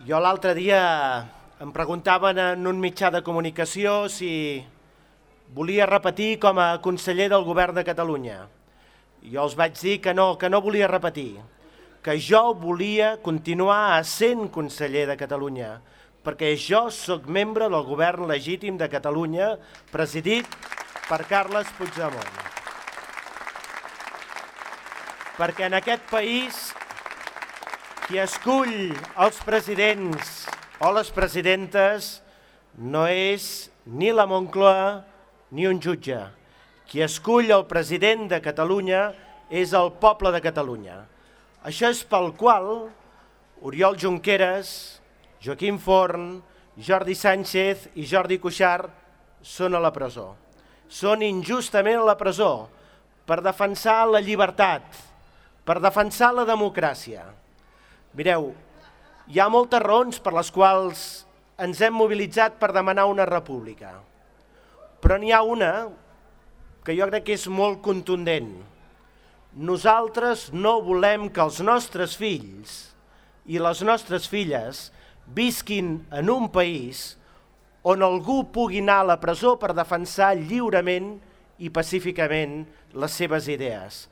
Jo l'altre dia em preguntaven en un mitjà de comunicació si volia repetir com a conseller del govern de Catalunya. Jo els vaig dir que no volia repetir, que jo volia continuar sent conseller de Catalunya, perquè jo sóc membre del govern legítim de Catalunya, presidit per Carles Puigdemont. Perquè en aquest país qui escull els presidents o les presidentes no és ni la Moncloa ni un jutge. Qui escull el president de Catalunya és el poble de Catalunya. Això és pel qual Oriol Junqueras, Joaquim Forn, Jordi Sánchez i Jordi Cuixart són a la presó. Són injustament a la presó per defensar la llibertat, per defensar la democràcia. Mireu, hi ha moltes raons per les quals ens hem mobilitzat per demanar una república, però n'hi ha una que jo crec que és molt contundent. Nosaltres no volem que els nostres fills i les nostres filles visquin en un país on algú pugui anar a la presó per defensar lliurement i pacíficament les seves idees.